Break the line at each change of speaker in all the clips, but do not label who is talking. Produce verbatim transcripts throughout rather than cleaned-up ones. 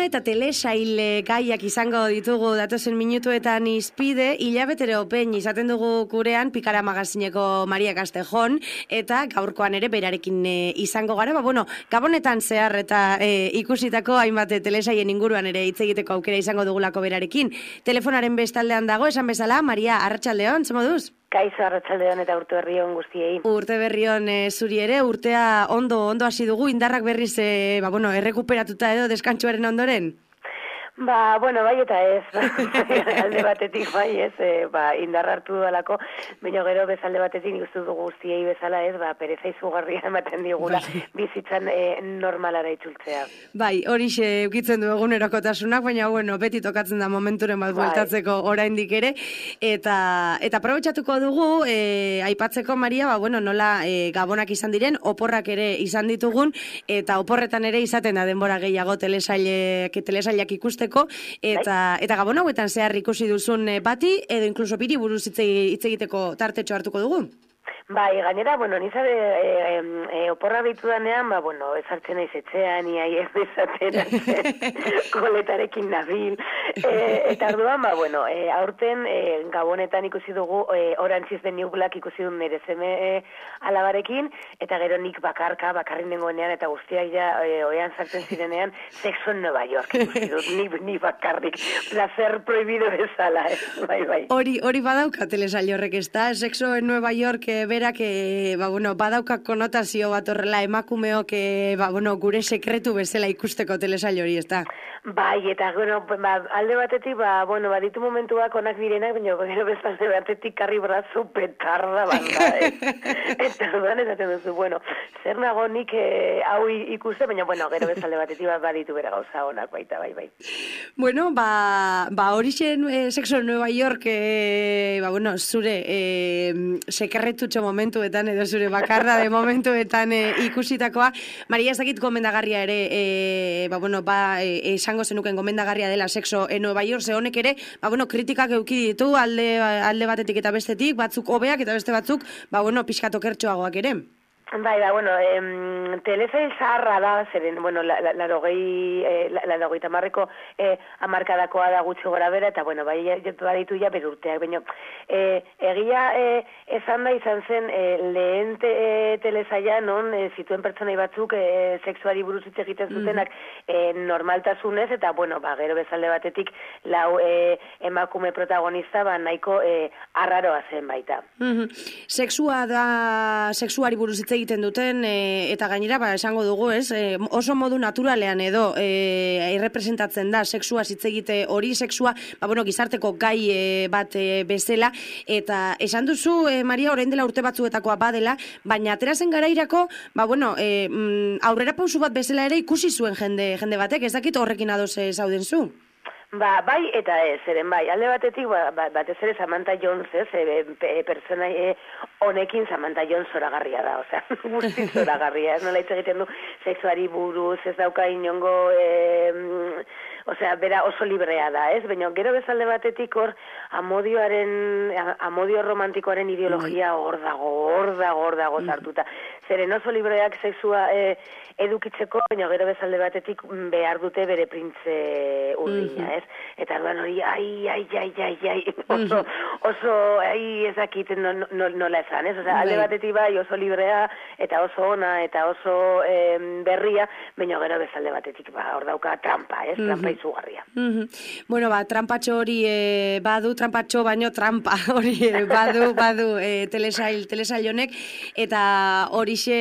eta telesail gaiak izango ditugu datozen minutuetan izpide, hilabetero pein izaten dugu gurean Pikara magazineko Maria Castejon, eta gaurkoan ere berarekin e, izango gara, ba, bueno, gabonetan zehar eta e, ikusitako hainbat telesaien inguruan ere hitz egiteko aukera izango dugulako berarekin. Telefonaren bestaldean dago, esan bezala, Maria, arratsaldeon, ze moduz?
Kaixo, arratsaldeon eta urte berrion guztiei.
Urte berrion e, zuri ere, urtea ondo ondo hasi dugu, indarrak berriz e, ba, bueno, errekuperatuta edo deskantsuaren ondoren?
Ba, bueno, bai eta ez, alde batetik bai ez, e, ba, indar hartu dalako, baina gero bezalde batetik nik uste dugu guztiei bezala ez, ba, pereza izugarria ematen digula bizitzan e, normalara itzultzea.
Bai, horixe eukitzen du egunerokotasunak, baina bueno, beti tokatzen da momenturen bat bueltatzeko bai. Oraindik ere, eta eta aprobetxatuko dugu, e, aipatzeko, Maria, ba, bueno, nola e, gabonak izan diren, oporrak ere izan ditugun, eta oporretan ere izaten da denbora gehiago telesailek, telesailak ikuste eta eta gabon hauetan zehar ikusi duzun bati edo inkluso biri buruz hitz egiteko tartetxo hartuko dugu.
Bai, gainera, bueno, nizabe e, e, e, oporra bitu danean, ba, bueno, ezartzen naiz etxean, iai ez bezaten, koletarekin nabil, e, eta orduan, ba, bueno, e, aurten e, gabonetan ikusi dugu, e, Orange is the New Black ikusi duen nire zeme e, alabarekin, eta gero nik bakarka, bakarrin nengoenean, eta guztiak ja, e, oean sartzen zirenean, Sexo en Nueva York ikusi dut, ni, ni bakarrik, placer prohibido bezala, eh? Bai, bai.
Hori, hori badauka telesail horrek, ez da? Sexo en Nueva York, e, berak, e, ba, bueno, badauka konotazio bat horrela emakumeok, e, ba, bueno, gure sekretu bezala ikusteko telesail hori, ez da?
Bai, eta, bueno, ba, alde batetik, ba, bueno, baditu momentuak onak direnak, baina gero bezalde batetik karri brazu petarda banda, eh? Eta duan esaten duzu, bueno, zer nago nik e, hau ikuste, baina, bueno, gero bezalde batetik ba, baditu bera gauza onak baita, bai, bai.
Bueno, ba, ba horixen e, Sexo en Nueva York, e, ba, bueno, zure e, sekretutxo momentuetan, edo zure bakarra de momentuetan e, ikusitakoa, Maria, ez dakit gomendagarria ere, e, ba, bueno, ba, e, esango zenuken gomendagarria dela Sexo en Nueva York, ze honek ere, ba, bueno, kritikak euki ditu alde, alde batetik eta bestetik, batzuk hobeak eta beste batzuk, ba, bueno, pixkatokertxoagoak ere.
Bai, da, bueno, em, telesail zaharra da, zeren, bueno, larogei, la, la, la, la, tamarreko eh, amarkadakoa da gutxi gora bera, eta, bueno, bai, baditu ja berurteak, baina, eh, egia eh, esan da izan zen eh, lehen te, eh, telesaila, non, eh, zituen pertsonai batzuk eh, sexuari buruz hitz egiten zutenak eh, normaltasunez, eta, bueno, ba, gero bezalde batetik, lau eh, emakume protagonista, ba, nahiko eh, arraroa zen baita.
Mm-hmm. Sexua da, sexuari buruz hitz egiten duten, e, eta gainera, ba, esango dugu, ez, e, oso modu naturalean edo e, errepresentatzen da sexua hitz egite hori, sexua, ba, bueno, gizarteko gai e, bat e, bezala, eta esan duzu, e, Maria, orain dela urte batzuetakoa badela, baina aterazen garairako, ba, bueno, e, mm, aurrera pausu bat bezala ere ikusi zuen jende, jende batek, ez dakit horrekin ados zauden zu?
Ba, bai eta ez, eren bai, alde batetik, ba, batez ere Samantha Jones, ez, e, e, pertsona e, honekin Samantha Jones zoragarria da, osea, guzti zoragarria, ez nola hitz egiten du sexuari buruz, ez dauka inongo, e, osea, bera oso librea da, ez, baina gero bezalde batetik hor amodioaren, amodio romantikoaren ideologia hor dago, hor dago, hor dago sartuta, zeren oso libreak sexua e, edukitzeko, baina gero bezalde batetik behar dute bere printze urdina, ez? Eta arduan hori, ai, ai, ai, ai, ai, oso, oso, ai, ezakit nola no, no esan, ez? Osea, alde batetik bai oso librea, eta oso ona, eta oso eh, berria, baina gero bezalde batetik, ba, hor dauka trampa, ez? Trampa izugarria.
Bueno, ba, trampatxo hori e, badu, trampatxo baino trampa hori e, badu, badu e, telesail, telesail honek, eta horixe,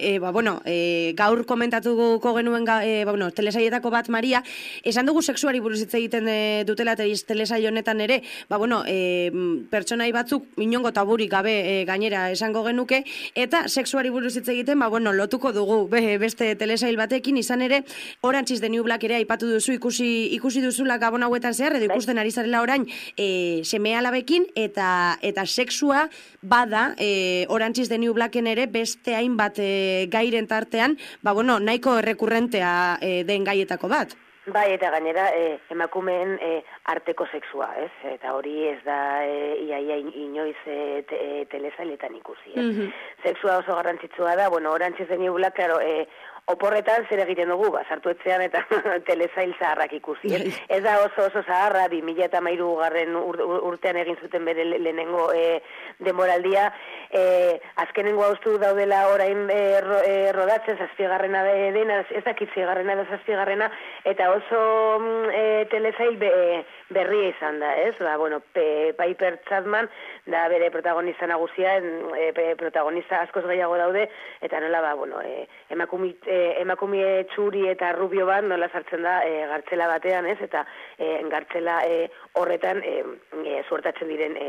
e, ba, bueno, e, gaur komentatuko genuen ga, e, ba, bueno, telesailetako bat, Maria, esan dugu sexuari buruz hitz egiten e, dutela telesail honetan ere, ba, bueno, e, pertsonai batzuk inongo taburik gabe e, gainera esango genuke, eta sexuari buruz hitz egiten, ba, bueno, lotuko dugu be, beste telesail batekin, izan ere, Orange is the New Black ere aipatu duzu, ikusi, ikusi duzula gabon hauetan zehar, edo ikusten ari zarela orain e, seme alabekin, eta, eta sexua bada e, Orange is the New Blacken ere beste hainbat e, gairen tartean, ba, bueno, nahiko errekurrentea e, den gaietako bat.
Bai, eta gainera eh, emakumeen eh, arteko sexua, ez? Eta hori ez da eh, iaia inoiz eh, te, eh, telesailetan ikusi, ez? Mm-hmm. Sexua oso garrantzitsua da, bueno, Orange is the New Black, claro, eh, oporretan zer egiten dugu, ba, sartu etxean eta telesail zaharrak ikusi. Ez, ez da oso oso zaharra, bi mila eta hamairu garren ur, ur, urtean egin zuten bere lehenengo e, demoraldia, e, azkenengo haustu daudela orain e, ro, e, rodatzen zazpigarrena dena, ez dakit zigarrena da zazpigarrena, eta oso e, telesail be, berria izan da, ez? Ba, bueno, pe, Piper Chapman da bere protagonista nagusia, e, protagonista askoz gehiago daude, eta nola, ba, bueno, e, emakumit E, emakumie txuri eta rubio bat nola sartzen da e, gartzela batean, ez? Eta e, gartzela e, horretan e, e, suertatzen diren e,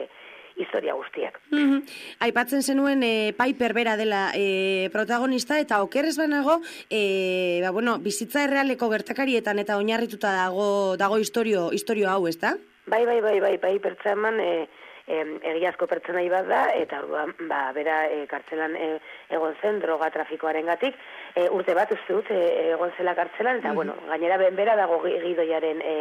historia guztiak.
Mm-hmm. Aipatzen zenuen e, Piper bera dela e, protagonista, eta okerrez banago, e, ba, bueno, bizitza errealeko gertakarietan eta oinarrituta dago dago historio, historio hau, ez da?
Bai, bai, bai, bai, Piper Chapman e, E, egiazko pertsonai bat da, eta orduan, ba, bera e, kartzelan e, egon zen droga trafikoaren gatik, e, urte bat uste dut e, egon zela kartzelan, eta, mm-hmm. bueno, gainera bera dago gidoiaren e,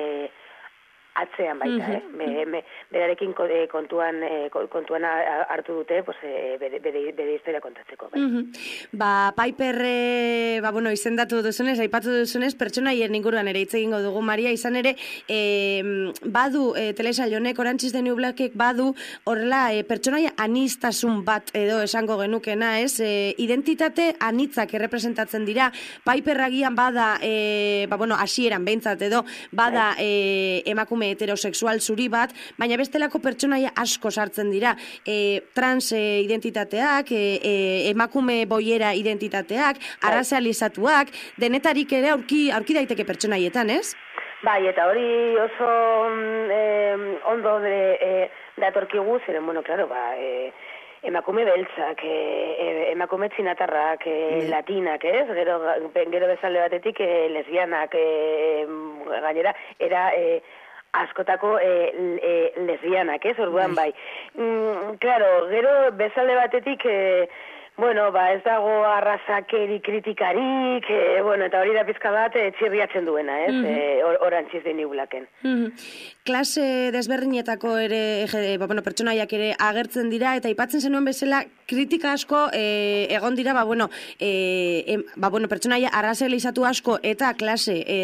atzean baita, mm-hmm. eh? Be, be, berarekin kontuan, kontuan hartu dute, pues, bere, bere, bere historia kontatzeko. Bai.
Mm-hmm. Ba, Piper, e, ba, bueno, izendatu duzunez, aipatu duzunez, pertsonaien inguruan ere hitz egingo dugu, Maria, izan ere, e, badu, e, telesail honek, Orange is the New Blackek badu, horrela, e, pertsonaia anistasun bat edo esango genukena, ez? E, identitate anitzak errepresentatzen dira, Piper agian bada, e, ba, bueno, hasieran behintzat edo, bada e, emakume heterosexual zuri bat, baina bestelako pertsonaia asko sartzen dira. E, trans e, identitateak, e, e, emakume boiera identitateak, arrazializatuak, denetarik ere aurki, aurki daiteke pertsonaietan, ez?
Bai, eta hori oso eh, ondo de, eh, datorkigu, ziren, bueno, claro, ba, eh, emakume beltzak, e, emakume txinatarrak, e, latinak, ez? Gero, gero bezalde batetik e, lesbianak, e, gainera, era... E, askotako e, e, lesbianak, ez, orduan bai. Mm, claro, gero bezalde batetik, e, bueno, ba, ez dago arrazakeri kritikarik, e, bueno, eta hori da pizka bat e, txirriatzen duena, ez, mm-hmm. e, or, Orange is the New Blacken.
Mm-hmm. Klase desberdinetako ere, e, ba, bueno, pertsonaiak ere agertzen dira, eta aipatzen zenuen bezala, kritika asko e, egon dira, ba, bueno, e, e, ba, bueno, pertsonaia arrazializatu asko eta klase e,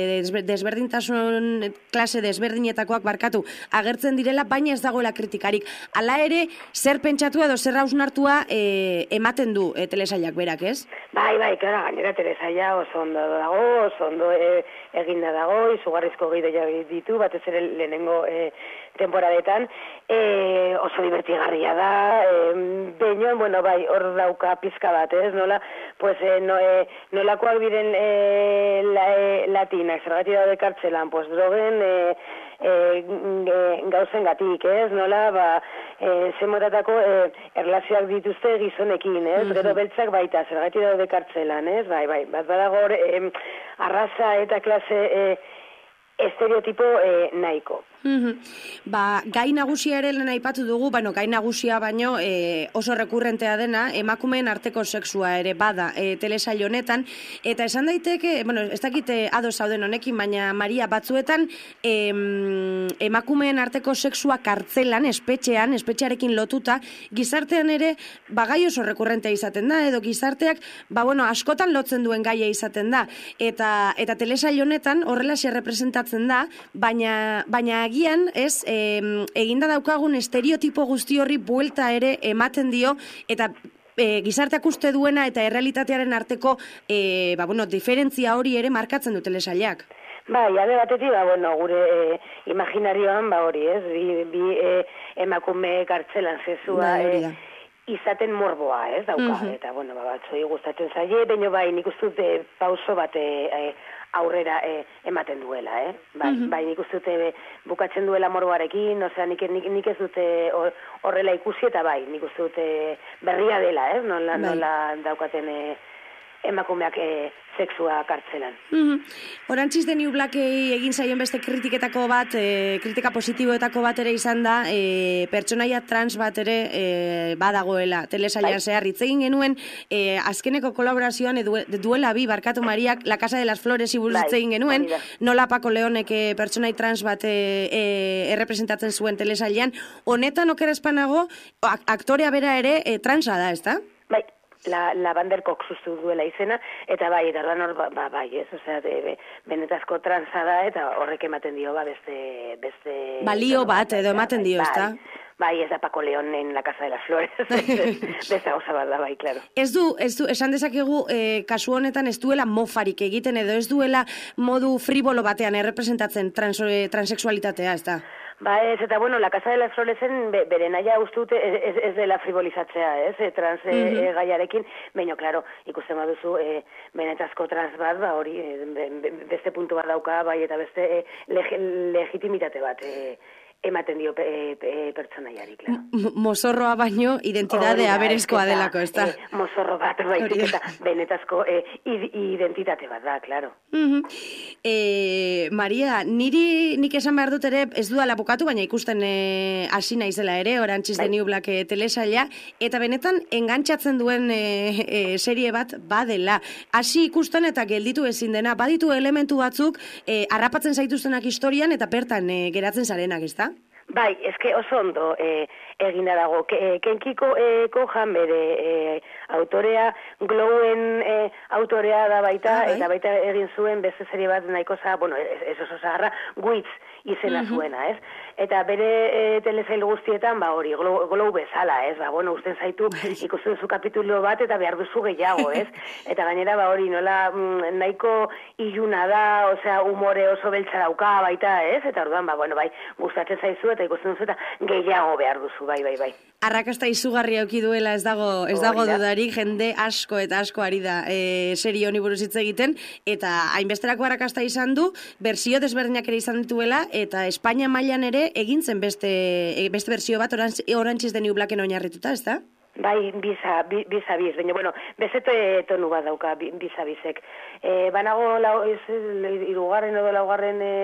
desberdintasun klase desberdinetakoak barkatu agertzen direla, baina ez dagoela kritikarik. Hala ere, zer pentsatu edo zer hausnartua e, ematen du e, telesailak berak, ez?
Bai, bai, klara, gainera telesaila oso ondo dago, oso ondo e, eginda dago, izugarrizko gidoia ditu, batez ere lehenengo e, temporadetan, e, oso divertigarria da, e, beinoan, bueno, bai, hor dauka pizka bat, ez, nola, pues, e, no, e, nolakoak diren e, la, e, latinak, zergatik daude kartzelan, pues, drogen e, e, gauzen gatik, ez, nola, ba, e, zemotatako e, erlazioak dituzte gizonekin, ez, mm-hmm. Gero beltzak baita, zergatik daude kartzelan, ez, bai, bai, bat badago hor, e, arraza eta klase e, estereotipo e, nahiko.
Mm-hmm. Ba, gai nagusia ere lehen aipatu dugu, bueno, gai nagusia baino e, oso rekurrentea dena, emakumeen arteko sexua ere bada e, telesail honetan, eta esan daiteke, bueno, ez dakite ados zauden honekin, baina Maria, batzuetan em, emakumeen arteko sexua kartzelan, espetxean, espetxearekin lotuta, gizartean ere, ba, gai oso rekurrentea izaten da, edo gizarteak, ba, bueno, askotan lotzen duen gaia izaten da, eta, eta telesail honetan horrelaxe representatzen da, baina, baina agian, ez, e, eginda daukagun estereotipo guzti horri buelta ere ematen dio, eta e, gizarteak uste duena eta errealitatearen arteko e, ba, bueno, diferentzia hori ere markatzen du telesailak.
Bai, alde batetik, ba, bueno, gure e, imaginarioan, ba, hori, ez, bi, bi e, emakume kartzelan zezua, bai, e, izaten morboa, ez, dauka, mm-hmm. Eta, bueno, ba, batzoi gustatzen zaie, baina bai, nik uste dute pauso bat e, aurrera e, ematen duela, eh? Bai, mm-hmm. bai, nik uste dute bukatzen duela morboarekin, osea, nik, nik, nik ez dute horrela ikusi, eta bai, nik uste dute berria dela, eh? Nola, bai. Nola daukaten e, emakumeak e, sexua kartzelan.
Mm-hmm. Orange is the New Blackei egin zaion beste kritiketako bat, e, kritika positiboetako bat ere izan da, e, pertsonaia trans bat ere e, badagoela telesailan zehar. Hitz egin genuen, e, azkeneko kolaborazioan edu, duela bi barkatu Mariak, La Casa de las Flores iburuz hitz egin genuen, nola Paco Leonek e, pertsonai trans bat e, e, errepresentatzen zuen telesailan. Honetan okerazpanago, aktorea bera ere e, transa da, ez da?
Bai. la, Lavanderkok sustu duela izena, eta bai, eta ordan hor, ba, ba, bai, ez, osea, de, be, benetazko transa da, eta horrek ematen dio, ba, beste... beste
balio bat, edo ematen dio, ez da?
Bai, ez da Paco León en la Casa de las Flores. Beza gauza bat da, bai, claro.
Ez du, ez du, esan dezakegu, eh, kasu honetan ez duela mofarik egiten, edo ez duela modu fribolo batean errepresentatzen trans, transexualitatea, ez da?
Ba ez, eta bueno, la Casa de las Floresen be, bere naia uste dute ez, ez, ez dela frivolizatzea, ez, e, trans e, mm -hmm. e, gaiarekin, baina, klaro, ikusten baduzu, e, benetazko trans bat, ba hori, e, be, beste puntu bat dauka, bai, eta beste e, leg, legitimitate bat, e, ematen dio pe, pe, pertsonaiari, klaro.
Mozorroa baino, identidadea berezkoa delako, ez da?
E, mozorro bat, baitik, eta benetazko e, identitate bat da, klaro.
Mm -hmm. e, Maria, niri nik esan behar dut ere, ez duela bukatu, baina ikusten hasi e, naizela ere, Orange is the New Black e, telesaila, eta benetan engantzatzen duen e, e, serie bat badela. Hasi ikusten eta gelditu ezin dena, baditu elementu batzuk e, harrapatzen zaituztenak historian eta bertan e, geratzen zarenak, ez da?
Bai, eske oso ondo e, egina dago. Ke, Kenkiko e, Kohan bere e, autorea, Glowen e, autorea da baita, ah, bai. Eta baita egin zuen beste serie bat nahiko za, bueno, ez, ez oso zaharra, Wits izena uh-huh. zuena, ez? Eta bere e, telesail guztietan, ba hori, Glow, glow bezala, ez? Ba, bueno, usten zaitu ikusten zu kapitulo bat eta behar duzu gehiago, ez? Eta gainera, ba hori, nola mm, nahiko iluna da, osea, umore oso beltza dauka baita, ez? Eta orduan, ba, bueno, bai, gustatzen zaizu eta ikusten duzu eta gehiago behar duzu, bai, bai, bai.
Arrakasta izugarria auki duela ez dago, ez dago dudarik, jende asko eta asko ari da e, serie honi buruz hitz egiten, eta hainbesterako arrakasta izan du, bersio desberdinak ere izan dituela, eta Espainia mailan ere egin zen beste, beste bersio bat Orange is the New Blacken oinarrituta, ez da?
Bai, biza, biza biz, baina, bueno, bezete tonu bat dauka biza bizek. E, banago, lau, ez, irugarren edo laugarren e,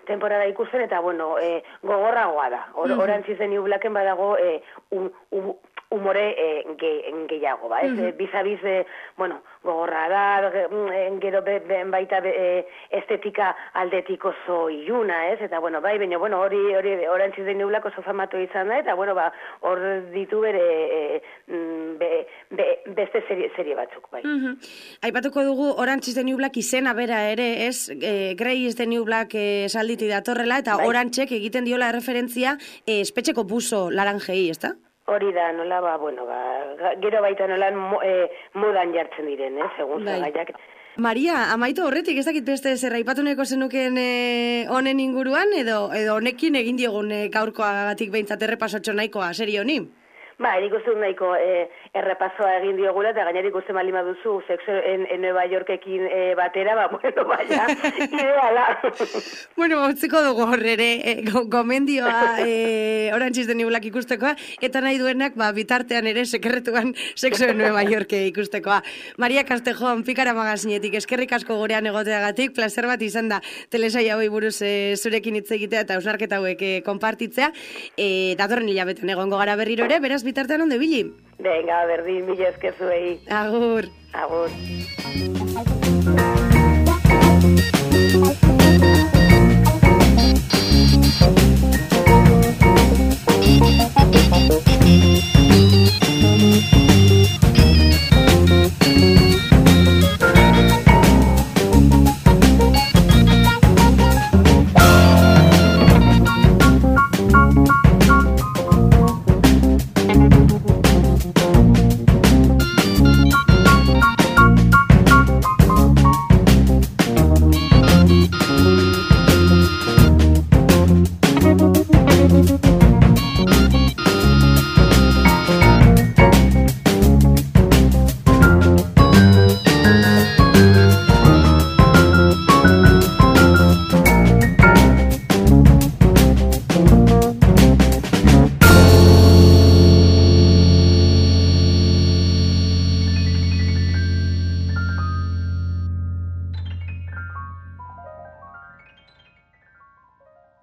temporada ikusten, eta, bueno, e, gogorragoa da. Or, mm-hmm. Orange is the New Blacken badago e, um, um, umore e, ge, gehiago, ba, ez? Mm-hmm. Biza biz, e, bueno, gogorra da, gero be, be, baita be, estetika aldetik oso iluna, ez? Eta, bueno, bai, baina, bueno, hori, hori, Orange is the New Black oso famatu izan da, eta, bueno, ba, hor ditu bere e, be, be, beste serie, serie batzuk, bai.
Mm-hmm. Aipatuko dugu Orange is the New Black izena bera ere, ez? E, Grey is the New Black e, salditu datorrela, eta bai. Orangeek egiten diola referentzia e, espetxeko buzo laranjei, ez da?
Hori da, nola, ba, bueno, ba, gero baita nola mo, e, modan jartzen diren, eh, segun bai. Zagaiak.
Maria, amaitu horretik, ez dakit beste zer aipatuneko zenuken honen e, inguruan, edo edo honekin egin diogun e, gaurkoagatik behintzat errepasotxo nahikoa serie honi?
Ba, erik uste nahiko e, errepasoa egin diogula, eta gainerik uste malima duzu sexo en, en Nueva Yorkekin e, batera, ba, bueno, baina, ideala.
Bueno, utziko dugu horrere, e, gomendioa e, Orange is the New Black ikustekoa, eta nahi duenak, ba, bitartean ere sekretuan sexo en Nueva Yorke ikustekoa. Maria Castejon, Pikara magazinetik, eskerrik asko gurean egoteagatik, placer bat izan da telesaia hoi buruz e, zurekin hitz egitea eta ausnarketa hauek e, konpartitzea, e, datorren hilabetean egongo gara berriro ere, beraz bitartean onde bili?
Venga, berdin, mila eskezuei.
Agur.
Agur.